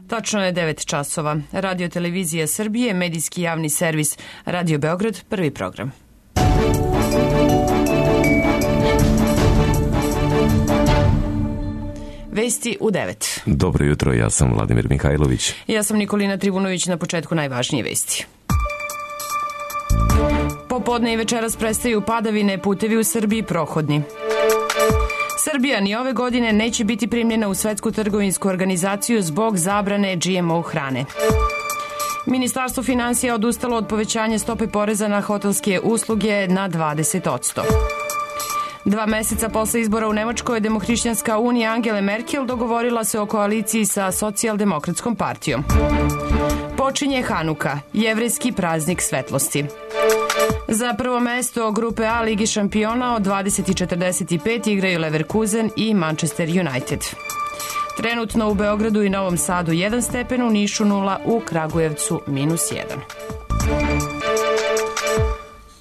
Tačno je 9 časova. Radio Televizija Srbije, medijski javni servis Radio Beograd, prvi program. Vesti u 9. Dobro jutro, ja sam Vladimir Mihajlović. Ja sam Nikolina Trivunović, na početku najvažnije vesti. Popodne i večeras prestaju padavine, putevi u Srbiji prohodni. Srbija ni ove godine neće biti primljena u Svetsku trgovinsku organizaciju zbog zabrane GMO hrane. Ministarstvo finansija odustalo od povećanja stope poreza na hotelske usluge na 20%. 2 meseca posle izbora u Nemačkoj, Demohrišćanska unija Angele Merkel dogovorila se o koaliciji sa Socijaldemokratskom partijom. Počinje Hanuka, jevrejski praznik svetlosti. Za prvo mesto grupe A Ligi šampiona od 20:45 igraju Leverkusen i Manchester United. Trenutno u Beogradu i Novom Sadu 1 stepen, u Nišu 0, u Kragujevcu -1.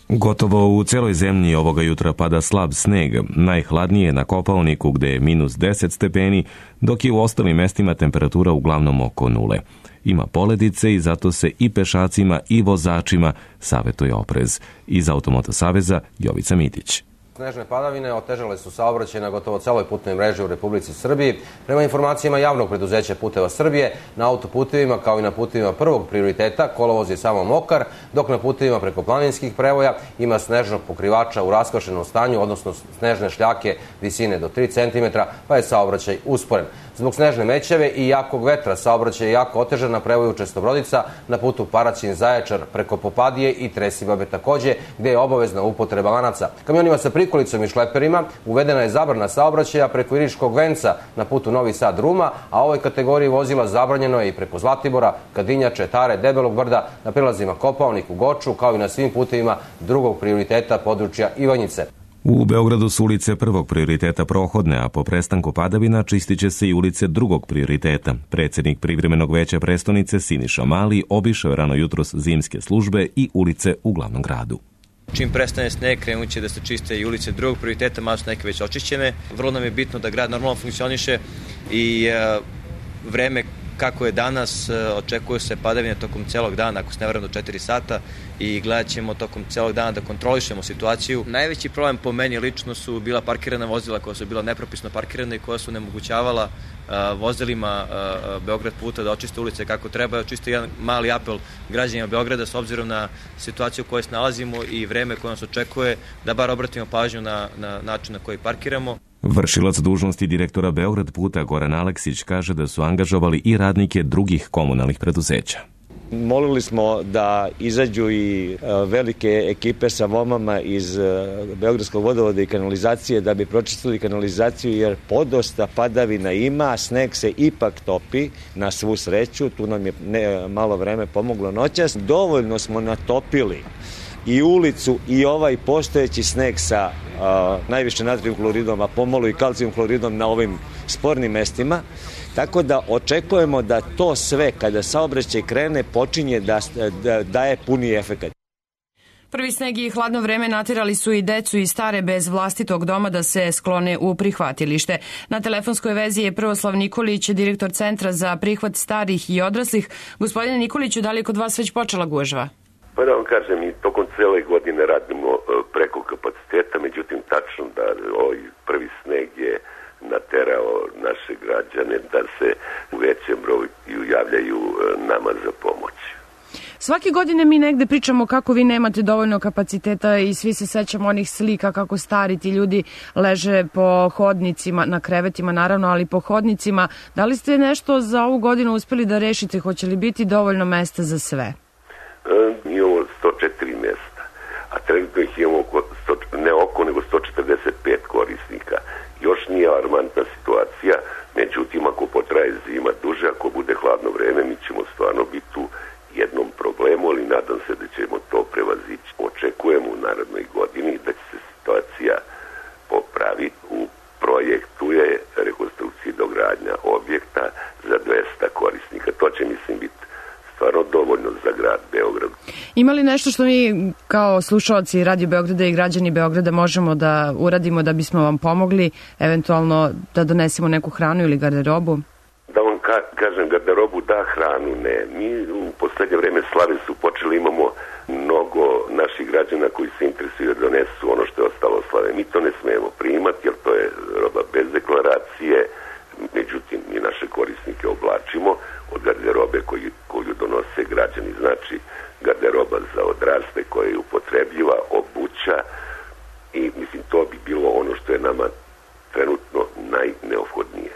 Gotovo u celoj zemlji ovoga jutra pada slab sneg. Najhladnije je na Kopaoniku gde je -10 stepeni, dok je u ostalim mestima temperatura uglavnom oko nule. Ima poledice i zato se i pešacima i vozačima savetuje oprez. Iz Automoto saveza Jovica Mitić. Snežne padavine otežale su saobraćaj na gotovo celoj putnoj mreži u Republici Srbiji. Prema informacijama javnog preduzeća Puteva Srbije, na autoputevima kao i na putevima prvog prioriteta kolovoz je samo mokar, dok na putevima preko planinskih prevoja ima snežnog pokrivača u raskvašenom stanju, odnosno snežne šljake visine do 3 cm, pa je saobraćaj usporen. Zbog snežne mećave i jakog vetra saobraćaj je jako otežan na prevoju Čestobrodica, na putu Paraćin-Zaječar preko Popadije i Tresibabe takođe, gde je obavezna upotreba lanaca. Kamionima sa prikolicom i šleperima uvedena je zabrana saobraćaja preko Iriškog venca na putu Novi Sad-Ruma, a ovoj kategoriji vozila zabranjeno je i preko Zlatibora, Kadinjače, Tare, Debelog brda, na prilazima Kopaonik u Goču, kao i na svim putevima drugog prioriteta područja Ivanjice. U Beogradu su ulice prvog prioriteta prohodne, a po prestanku padavina čistit će se i ulice drugog prioriteta. Predsednik privremenog veća prestonice Siniša Mali obišao je rano jutros zimske službe i ulice u glavnom gradu. Čim prestane sneg, krenut će da se čiste i ulice drugog prioriteta, malo su neke već očišćene. Vrlo nam je bitno da grad normalno funkcioniše i vreme kako je danas, očekuje se padavine tokom celog dana, ako se ne varam do 4 sata, i gledat ćemo tokom celog dana da kontrolišemo situaciju. Najveći problem po meni lično su bila parkirana vozila koja su bila nepropisno parkirana i koja su nemogućavala vozilima Beograd puta da očiste ulice kako treba. Čisto jedan mali apel građanima Beograda s obzirom na situaciju u kojoj se nalazimo i vreme koje nas očekuje, da bar obratimo pažnju na način na koji parkiramo. Vršilac dužnosti direktora Beograd puta Goran Aleksić kaže da su angažovali i radnike drugih komunalnih preduzeća. Molili smo da izađu i velike ekipe sa vomama iz Beogradskog vodovoda i kanalizacije da bi pročistili kanalizaciju, jer podosta padavina ima, sneg se ipak topi na svu sreću, tu nam je malo vreme pomoglo noćas. Dovoljno smo natopili i ulicu i ovaj postojeći sneg sa najviše natrijum kloridom, a pomalo i kalcijum kloridom na ovim spornim mestima. Tako da očekujemo da to sve, kada saobraćaj krene, počinje da daje puni efekat. Prvi sneg i hladno vreme naterali su i decu i stare bez vlastitog doma da se sklone u prihvatilište. Na telefonskoj vezi je Prvoslav Nikolić, direktor Centra za prihvat starih i odraslih. Gospodine Nikoliću, da li je kod vas već počela gužva? Pa da vam kažem, mi tokom cele godine radimo preko kapaciteta, međutim tačno da ovaj prvi sneg je naterao naše građane da se u većem broju javljaju nama za pomoć. Svake godine mi negde pričamo kako vi nemate dovoljno kapaciteta i svi se sećamo onih slika kako stari ti ljudi leže po hodnicima, na krevetima naravno, ali po hodnicima. Da li ste nešto za ovu godinu uspeli da rešite? Hoće li biti dovoljno mesta za sve? Imamo 104 mesta, a trenutno ih imamo nego 145 korisnika. Još nije alarmantna situacija, međutim ako potraje zima duže, ako bude hladno vreme, mi ćemo stvarno biti tu jednom problemu, ali nadam se da ćemo to prevazići. Očekujemo u narednoj godini da će se situacija popraviti. U projektu je rekonstrukcija i dogradnja objekta za 200 korisnika. To će, mislim, biti stvarno dovoljno za grad Beograd. Ima li nešto što mi kao slušalci Radio Beograda i građani Beograda možemo da uradimo da bismo vam pomogli, eventualno da donesemo neku hranu ili garderobu? Da vam Ja kažem garderobu da, hranu ne. Mi u poslednje vreme slave su počeli, imamo mnogo naših građana koji se interesuju da donesu ono što je ostalo slave. Mi to ne smemo primati jer to je roba bez deklaracije, međutim mi naše korisnike oblačimo od garderobe koju donose građani, znači garderoba za odrasle koja je upotrebljiva, obuća i mislim to bi bilo ono što je nama trenutno najneophodnije.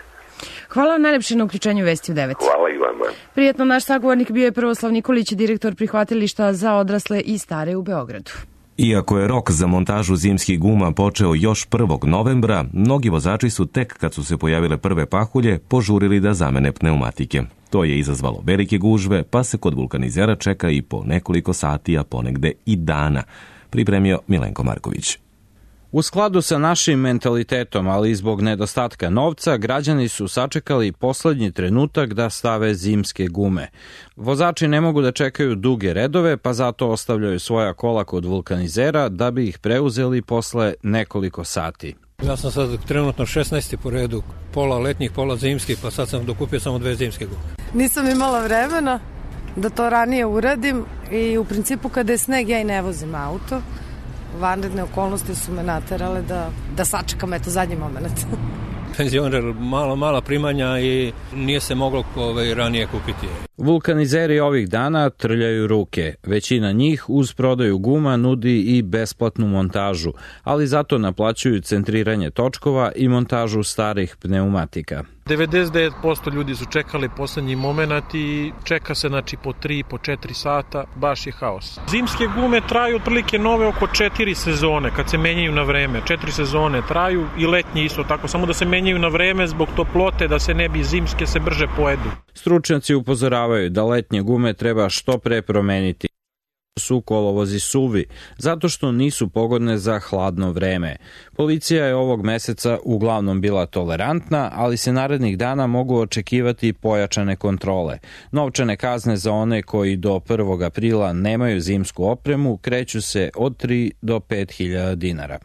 Hvala vam najlepše na uključenju Vesti u 9. Hvala i vama. Prijetno, naš sagovornik bio je Prvoslav Nikolić, direktor prihvatilišta za odrasle i stare u Beogradu. Iako je rok za montažu zimskih guma počeo još 1. novembra, mnogi vozači su tek kad su se pojavile prve pahulje požurili da zamene pneumatike. To je izazvalo velike gužve, pa se kod vulkanizera čeka i po nekoliko sati, a ponegde i dana. Pripremio Milenko Marković. U skladu sa našim mentalitetom, ali i zbog nedostatka novca, građani su sačekali poslednji trenutak da stave zimske gume. Vozači ne mogu da čekaju duge redove, pa zato ostavljaju svoja kola kod vulkanizera da bi ih preuzeli posle nekoliko sati. Ja sam sad trenutno 16. po redu, pola letnjih, pola zimskih, pa sad sam dokupio samo 2 zimske gume. Nisam imala vremena da to ranije uradim i u principu kada je sneg ja i ne vozim auto. Vanredne okolnosti su me naterale da sačekam zadnji moment. Penzioner, mala primanja i nije se moglo ranije kupiti. Vulkanizeri ovih dana trljaju ruke. Većina njih uz prodaju guma nudi i besplatnu montažu, ali zato naplaćuju centriranje točkova i montažu starih pneumatika. 99% ljudi su čekali poslednji moment i čeka se po 3, po 4 sata, baš je haos. Zimske gume traju otprilike nove oko 4 sezone, kad se menjaju na vreme. 4 sezone traju i letnje isto tako, samo da se menjaju na vreme zbog toplote, da se ne bi zimske se brže pojedu. Stručnjaci upozoravaju da letnje gume treba što pre promeniti. Su kolovozi suvi, zato što nisu pogodne za hladno vreme. Policija je ovog meseca uglavnom bila tolerantna, ali se narednih dana mogu očekivati pojačane kontrole. Novčane kazne za one koji do 1. aprila nemaju zimsku opremu kreću se od 3 do 5.000 dinara.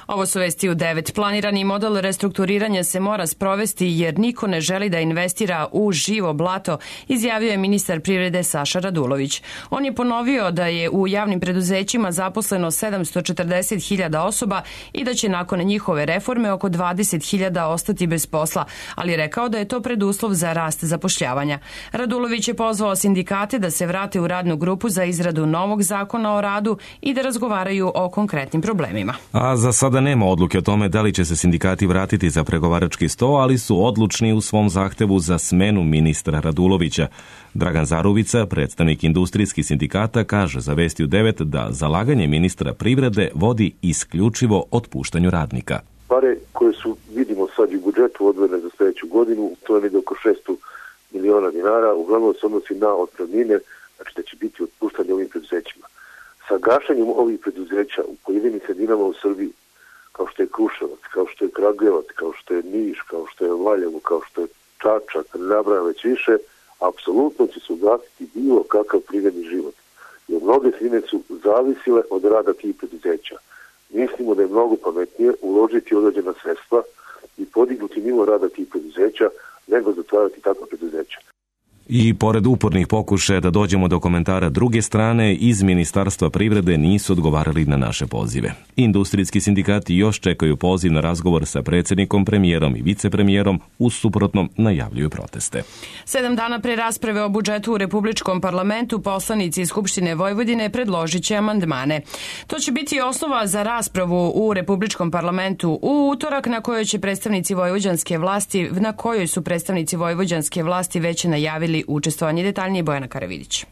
Ovo su Vesti u 9. Planirani model restrukturiranja se mora sprovesti jer niko ne želi da investira u živo blato, izjavio je ministar privrede Saša Radulović. On je ponovio da je u javnim preduzećima zaposleno 740.000 osoba i da će nakon njihove reforme oko 20.000 ostati bez posla, ali rekao da je to preduslov za rast zapošljavanja. Radulović je pozvao sindikate da se vrate u radnu grupu za izradu novog zakona o radu i da razgovaraju o konkretnim problemima. A za sada nema odluke o tome da li će se sindikati vratiti za pregovarački sto, ali su odlučni u svom zahtevu za smenu ministra Radulovića. Dragan Zaruvica, predstavnik industrijskih sindikata, kaže za Vesti u 9 da zalaganje ministra privrede vodi isključivo otpuštanju radnika. Pare koje su, vidimo sad u budžetu odvojene za sledeću godinu, to je negde oko 600 miliona dinara, uglavnom se odnosi na otpremnine, znači da će biti otpuštanje ovim preduzećima. Sa gašenjem ovih preduzeća u pojedinim sredinama u Srbiji, kao što je Kruševac, kao što je Kragujevac, kao što je Niš, kao što je Valjevo, kao što je Čačak, ne nabrajam već više, apsolutno će se ugasiti bilo kakav privredni život. Jer mnoge sredine su zavisile od rada tih preduzeća. Mislimo da je mnogo pametnije uložiti određena sredstva i podignuti nivo rada tih preduzeća nego zatvarati takva preduzeća. I pored upornih pokušaja da dođemo do komentara druge strane, iz Ministarstva privrede nisu odgovarali na naše pozive. Industrijski sindikati još čekaju poziv na razgovor sa predsjednikom, premijerom i vicepremijerom, u suprotnom najavljuju proteste. 7 dana pre rasprave o budžetu u Republičkom parlamentu, poslanici iz Skupštine Vojvodine predložit će amandmane. To će biti osnova za raspravu u Republičkom parlamentu u utorak na kojoj su predstavnici vojvođanske vlasti već najavili učestvovanje. Detaljnije Bojana Karavidić.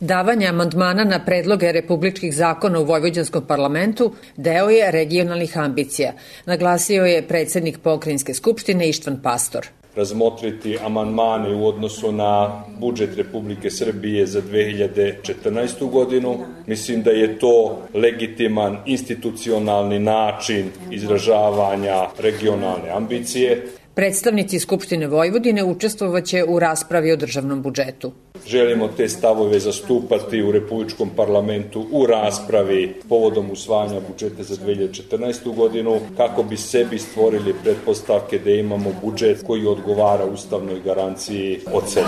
Davanje amandmana na predloge republičkih zakona u Vojvođanskom parlamentu deo je regionalnih ambicija, naglasio je predsjednik Pokrajinske skupštine Ištvan Pastor. Razmotriti amandmane u odnosu na budžet Republike Srbije za 2014. godinu. Mislim da je to legitiman institucionalni način izražavanja regionalne ambicije. Predstavnici Skupštine Vojvodine učestvovaće u raspravi o državnom budžetu. Želimo te stavove zastupati u Republičkom parlamentu u raspravi povodom usvajanja budžeta za 2014. godinu, kako bi sebi stvorili pretpostavke da imamo budžet koji odgovara ustavnoj garanciji od 7%.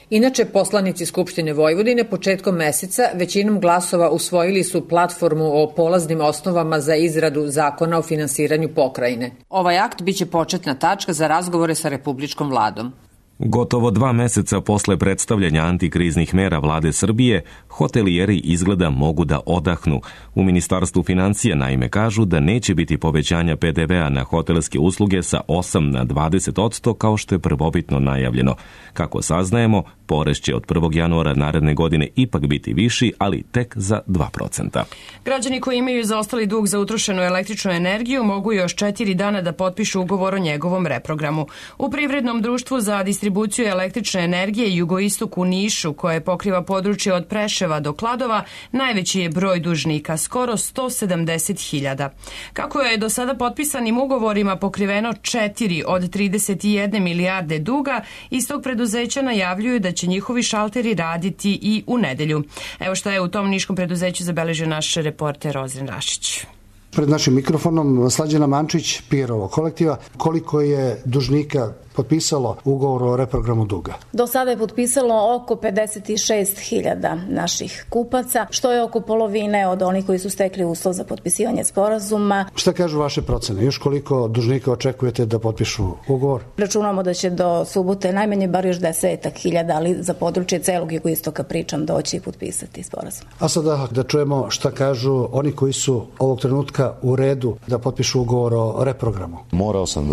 Inače, poslanici Skupštine Vojvodine početkom meseca većinom glasova usvojili su platformu o polaznim osnovama za izradu zakona o finansiranju pokrajine. Ovaj akt biće početna tačka za razgovore sa republičkom vladom. Gotovo 2 meseca posle predstavljanja antikriznih mera vlade Srbije, hotelijeri izgleda mogu da odahnu. U Ministarstvu financija naime kažu da neće biti povećanja PDV-a na hotelske usluge sa 8 na 20% kao što je prvobitno najavljeno. Kako saznajemo, porez će od 1. januara naredne godine ipak biti viši, ali tek za 2%. Građani koji imaju zaostali dug za utrošenu električnu energiju mogu još 4 dana da potpišu ugovor o njegovom reprogramu. U Privrednom društvu za distribuciju električne energije Jugoistok u Nišu, koje pokriva područje od Preševa do Kladova, najveći je broj dužnika, skoro 170.000. Kako je do sada potpisanim ugovorima pokriveno 4 od 31 milijarde duga, iz tog preduzeća najavljuju da će njihovi šalteri raditi i u nedelju. Evo šta je u tom niškom preduzeću zabeležio naš reporter Ozren Rašić. Pred našim mikrofonom Slađana Mančić, PR kolektiva, koliko je dužnika potpisalo ugovor o reprogramu duga? Do sada je potpisalo oko 56.000 naših kupaca, što je oko polovine od onih koji su stekli uslov za potpisivanje sporazuma. Šta kažu vaše procene? Još koliko dužnika očekujete da potpišu ugovor? Računamo da će do subote najmanje bar još 10.000, ali za područje celog jugoistoka pričam doći i potpisati sporazum. A sada da čujemo šta kažu oni koji su ovog trenutka u redu da potpišu ugovor o reprogramu. Morao sam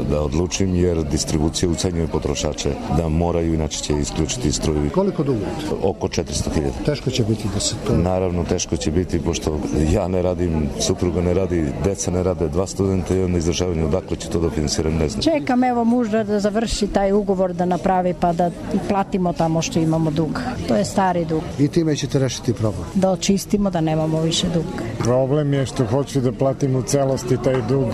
da odlučim jer distribucija ucenjuje potrošače da moraju, inače će isključiti struju. Koliko dugujete? Oko 400.000. Teško će biti da se to... Naravno, teško će biti, pošto ja ne radim, supruga ne radi, deca ne rade, 2 studenta i onda izdržavanje, odakle će to da financiram, ne znam. Čekam evo muža da završi taj ugovor da napravi pa da platimo tamo što imamo dug. To je stari dug. I time ćete rešiti problem? Da očistimo, da nemamo više duga. Problem je što hoću da platim u celosti taj dug,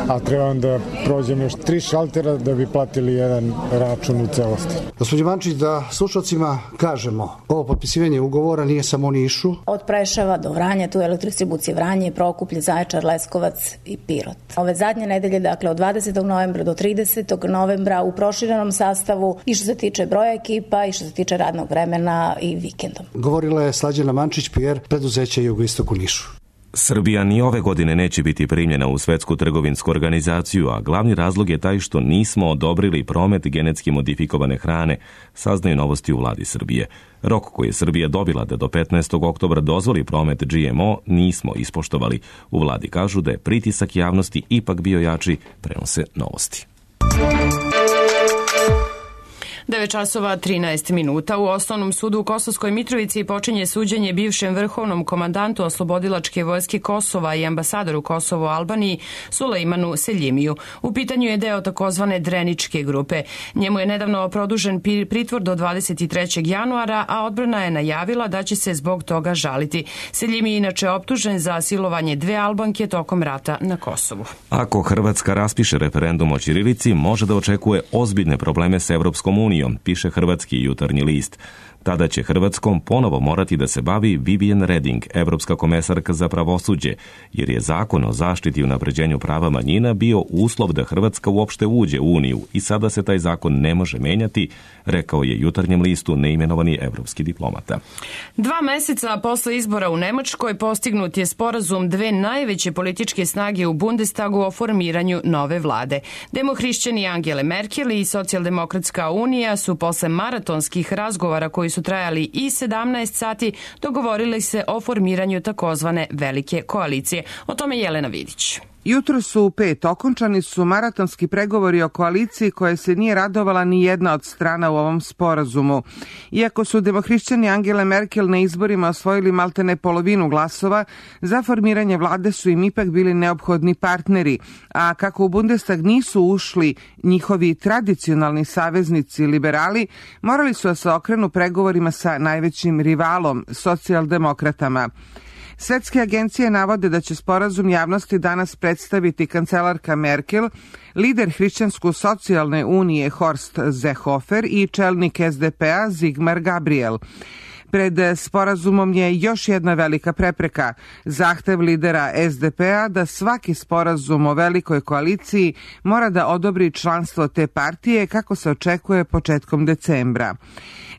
a trebam da prođem još 3 šaltera da bi platili jedan račun u celosti. Gospodin Mančić, da slušalcima kažemo, ovo potpisivanje ugovora nije samo u Nišu. Od Preševa do Vranja, tu je Elektrodistribucija Vranje, Prokuplje, Zaječar, Leskovac i Pirot. Ove zadnje nedelje, dakle od 20. novembra do 30. novembra u proširenom sastavu i što se tiče broja ekipa i što se tiče radnog vremena i vikendom. Govorila je Slađana Mančić, PR preduzeća Jugoistok u Nišu. Srbija ni ove godine neće biti primljena u Svetsku trgovinsku organizaciju, a glavni razlog je taj što nismo odobrili promet genetski modifikovane hrane, saznaju Novosti u vladi Srbije. Rok koji je Srbija dobila da do 15. oktobra dozvoli promet GMO nismo ispoštovali. U vladi kažu da je pritisak javnosti ipak bio jači, prenose Novosti. 9 časova 13 minuta. U Osnovnom sudu u Kosovskoj Mitrovici počinje suđenje bivšem vrhovnom komandantu Oslobodilačke vojske Kosova i ambasadoru Kosova u Albaniji Sulejmanu Seljimiju. U pitanju je deo takozvane Dreničke grupe. Njemu je nedavno produžen pritvor do 23. januara, a odbrana je najavila da će se zbog toga žaliti. Seljimi je inače optužen za silovanje 2 Albanke tokom rata na Kosovu. Ako Hrvatska raspiše referendum o ćirilici, može da očekuje ozbiljne probleme s Evropskom unijom, piše Hrvatski jutarnji list. Tada će Hrvatskom ponovo morati da se bavi Vivian Reding, evropska komesarka za pravosuđe, jer je zakon o zaštiti i unapređenju prava manjina bio uslov da Hrvatska uopšte uđe u Uniju i sada se taj zakon ne može menjati, rekao je jutarnjem listu neimenovani evropski diplomata. 2 meseca posle izbora u Nemačkoj postignut je sporazum 2 najveće političke snage u Bundestagu o formiranju nove vlade. Demohrišćani Angele Merkel i Socijaldemokratska unija su posle maratonskih razgovara koji su trajali i 17 sati dogovorili se o formiranju takozvane velike koalicije. O tome Jelena Vidić. Jutro su u 5 okončani su maratonski pregovori o koaliciji koje se nije radovala ni jedna od strana u ovom sporazumu. Iako su demohrišćani Angele Merkel na izborima osvojili maltene polovinu glasova, za formiranje vlade su im ipak bili neophodni partneri, a kako u Bundestag nisu ušli njihovi tradicionalni saveznici liberali, morali su da se okrenu pregovorima sa najvećim rivalom, socijaldemokratama. Svetske agencije navode da će sporazum javnosti danas predstaviti kancelarka Merkel, lider Hrišćansko-socijalne unije Horst Seehofer i čelnik SDP-a Sigmar Gabriel. Pred sporazumom je još jedna velika prepreka, zahtev lidera SDP-a da svaki sporazum o velikoj koaliciji mora da odobri članstvo te partije kako se očekuje početkom decembra.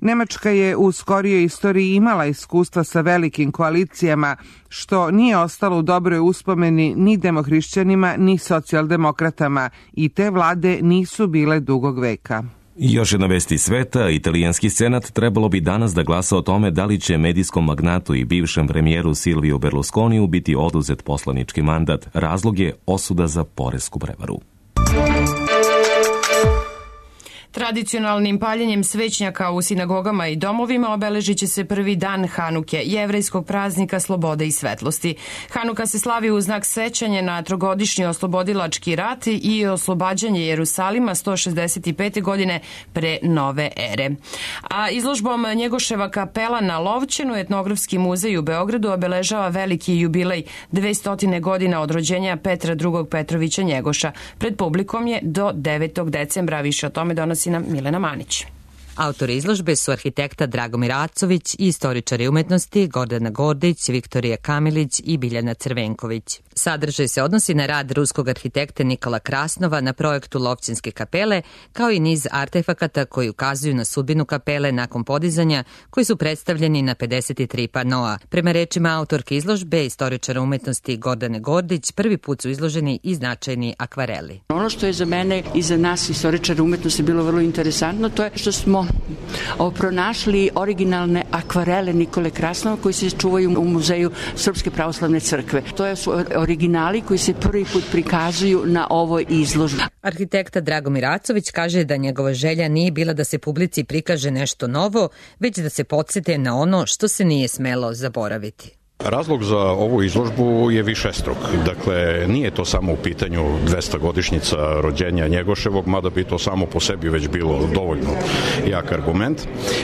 Nemačka je u skorijoj istoriji imala iskustva sa velikim koalicijama, što nije ostalo u dobroj uspomeni ni demohrišćanima ni socijaldemokratama i te vlade nisu bile dugog veka. Još jedna vest iz sveta, italijanski senat trebalo bi danas da glasa o tome da li će medijskom magnatu i bivšem premijeru Silviju Berlusconiju biti oduzet poslanički mandat. Razlog je osuda za poresku prevaru. Tradicionalnim paljenjem svećnjaka u sinagogama i domovima obeležit će se prvi dan Hanuke, jevrejskog praznika slobode i svetlosti. Hanuka se slavi u znak sećanja na trogodišnji oslobodilački rat i oslobađanje Jerusalima 165. godine pre nove ere. A izložbom Njegoševa kapela na Lovćenu Etnografski muzej u Beogradu obeležava veliki jubilej 200 godina od rođenja Petra II. Petrovića Njegoša. Pred publikom je do 9. decembra, više o tome donosi nam Milena Manić. Autori izložbe su arhitekta Dragomir Acović i istoričari umetnosti Gordana Gordić, Viktorija Kamilić i Biljana Crvenković. Sadržaj se odnosi na rad ruskog arhitekta Nikola Krasnova na projektu Lovćenske kapele, kao i niz artefakata koji ukazuju na sudbinu kapele nakon podizanja, koji su predstavljeni na 53 panoa. Prema rečima autorke izložbe, istoričara umetnosti Gordane Gordić, prvi put su izloženi i značajni akvareli. Ono što je za mene i za nas istoričara umetnosti bilo vrlo interesantno, to je što smo pronašli originalne akvarele Nikole Krasnova koji se čuvaju u Muzeju Srpske pravoslavne crkve. To su originali koji se prvi put prikazuju na ovoj izložbi. Arhitekta Dragomir Acović kaže da njegova želja nije bila da se publici prikaže nešto novo, već da se podsete na ono što se nije smelo zaboraviti. Razlog za ovu izložbu je višestruk. Dakle, nije to samo u pitanju 200-godišnjica rođenja Njegoševog, mada bi to samo po sebi već bilo dovoljno jak argument,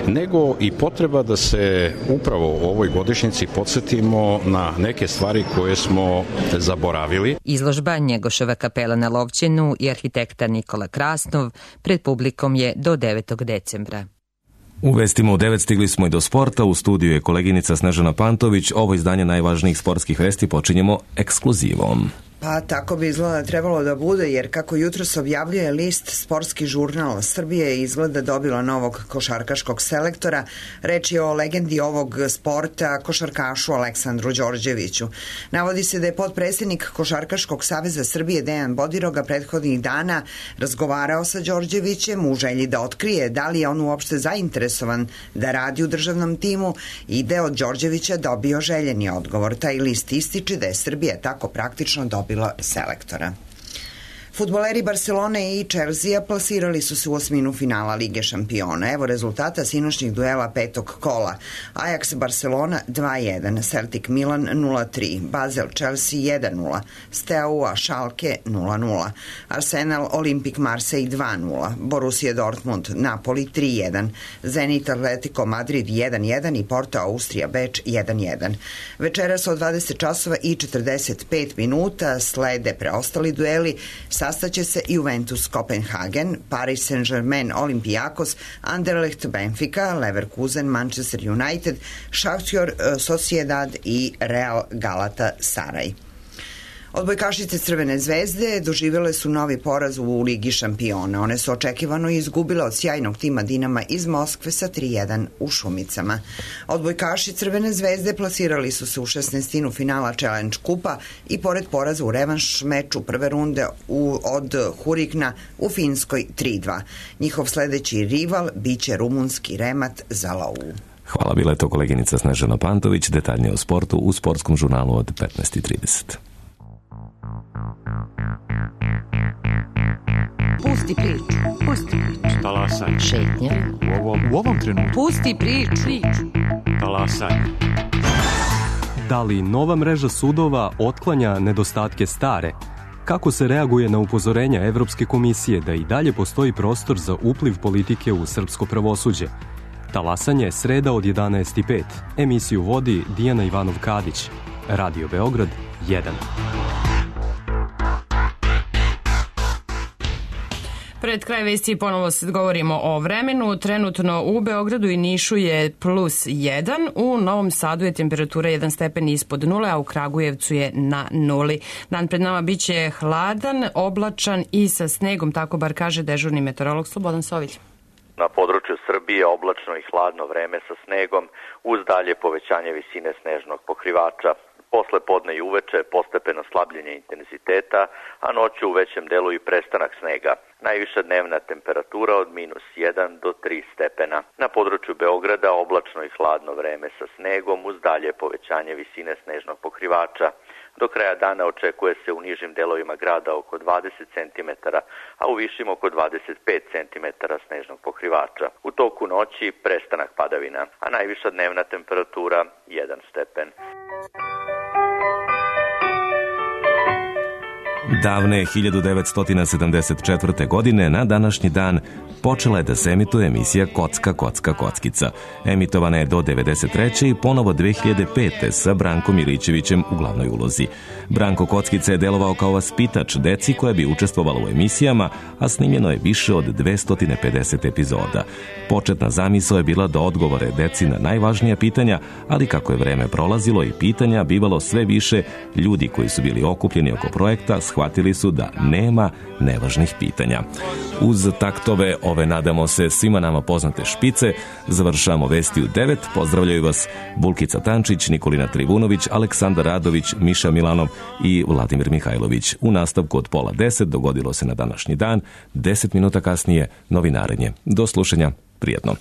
nego i potreba da se upravo u ovoj godišnjici podsjetimo na neke stvari koje smo zaboravili. Izložba Njegoševa kapela na Lovćenu i arhitekta Nikola Krasnov pred publikom je do 9. decembra. U vestima u 9 stigli smo i do sporta. U studiju je koleginica Snežana Pantović. Ovo izdanje najvažnijih sportskih vesti počinjemo ekskluzivom. Pa tako bi izgleda trebalo da bude, jer kako jutros objavljuje list Sportski žurnal, Srbije je izgleda dobila novog košarkaškog selektora. Reč je o legendi ovog sporta, košarkašu Aleksandru Đorđeviću. Navodi se da je potpredsjednik Košarkaškog saveza Srbije Dejan Bodiroga prethodnih dana razgovarao sa Đorđevićem u želji da otkrije da li je on uopšte zainteresovan da radi u državnom timu i da je od Đorđevića dobio željeni odgovor. Taj list ističe da je Srbija tako praktično dobila selektora. Fudbaleri Barcelone i Chelsea plasirali su se u osminu finala Lige šampiona. Evo rezultata sinoćnih duela petog kola. Ajax Barcelona 2-1, Celtic Milan 0-3, Basel Chelsea 1-0, Steaua Schalke 0-0, Arsenal Olympique Marseille 2-0, Borussia Dortmund Napoli 3-1, Zenit Atletico Madrid 1-1 i Porto Austrija Beč 1-1. Večeras od 20 časova i 45 minuta slede preostali dueli. Sastaće se Juventus Kopenhagen, Paris Saint-Germain Olympiakos, Anderlecht Benfica, Leverkusen Manchester United, Shakhtar Sociedad i Real Galata Saraj. Odbojkašice Crvene zvezde doživjele su novi poraz u Ligi šampiona. One su očekivano izgubile od sjajnog tima Dinama iz Moskve sa 3-1 u Šumicama. Odbojkaši Crvene zvezde plasirali su se u 16. finala Challenge kupa i pored poraza u revanš meču prve runde od Hurikna u Finskoj 3-2. Njihov sledeći rival biće rumunski Remat Zalau. Hvala, bila je to koleginica Snežana Pantović. Detaljnije o sportu u sportskom žurnalu od 15:30. Pusti priču, pusti priču. Talasaj. Šetnja. U ovom trenutku. Pusti priču. Talasaj. Da li nova mreža sudova otklanja nedostatke stare? Kako se reaguje na upozorenja Evropske komisije da i dalje postoji prostor za upliv politike u srpsko pravosuđe? Talasanje sreda od 11:05. Emisiju vodi Dijana Ivanov-Kadić. Radio Beograd 1. Pred kraj vesti ponovo govorimo o vremenu. Trenutno u Beogradu i Nišu je +1, u Novom Sadu je temperatura 1 stepen ispod nule, a u Kragujevcu je na nuli. Dan pred nama biće hladan, oblačan i sa snegom, tako bar kaže dežurni meteorolog Slobodan Sovilj. Na području Srbije oblačno i hladno vreme sa snegom uz dalje povećanje visine snežnog pokrivača. Posle podne i uveče postepeno slabljenje intenziteta, a noću u većem delu i prestanak snega. Najviša dnevna temperatura od -1 do 3 stepena. Na području Beograda oblačno i hladno vreme sa snegom uz dalje povećanje visine snežnog pokrivača. Do kraja dana očekuje se u nižim delovima grada oko 20 cm, a u višim oko 25 cm snežnog pokrivača. U toku noći prestanak padavina, a najviša dnevna temperatura 1 stepen. Davne 1974. godine na današnji dan počela je da se emituje emisija Kocka, kocka, kockica. Emitovana je do 1993. i ponovo 2005. sa Brankom Milićevićem u glavnoj ulozi. Branko Kockica je delovao kao vaspitač deci koja bi učestvovala u emisijama, a snimljeno je više od 250 epizoda. Početna zamisao je bila da odgovore deci na najvažnija pitanja, ali kako je vreme prolazilo i pitanja bivalo sve više, ljudi koji su bili okupljeni oko projekta shvatili su da nema nevažnih pitanja. Uz taktove ove, nadamo se, svima nama poznate špice, završamo vesti u 9. Pozdravljaju vas Bulkica Tančić, Nikolina Trivunović, Aleksandar Radović, Miša Milanov i Vladimir Mihajlović. U nastavku od 9:30 dogodilo se na današnji dan, 10 minuta kasnije novinarenje. Do slušanja, prijatno.